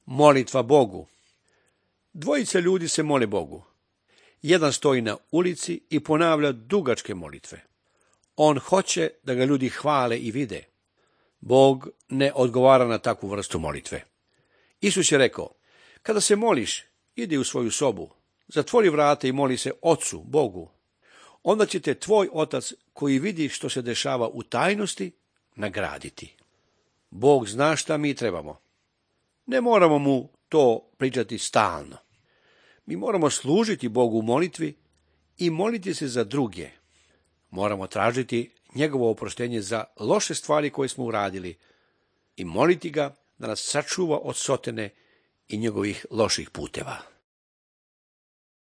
Molitva Bogu. Dvojica ljudi se mole Bogu. Jedan stoji na ulici i ponavlja dugačke molitve. On hoće da ga ljudi hvale i vide. Bog ne odgovara na takvu vrstu molitve. Isus je rekao, kada se moliš, idi u svoju sobu, zatvori vrata i moli se Ocu, Bogu. Onda će te tvoj Otac, koji vidi što se dešava u tajnosti, nagraditi. Bog zna šta mi trebamo. Ne moramo mu to pričati stalno. Mi moramo služiti Bogu u molitvi i moliti se za druge. Moramo tražiti njegovo oproštenje za loše stvari koje smo uradili i moliti ga da nas sačuva od sotene i njegovih loših puteva.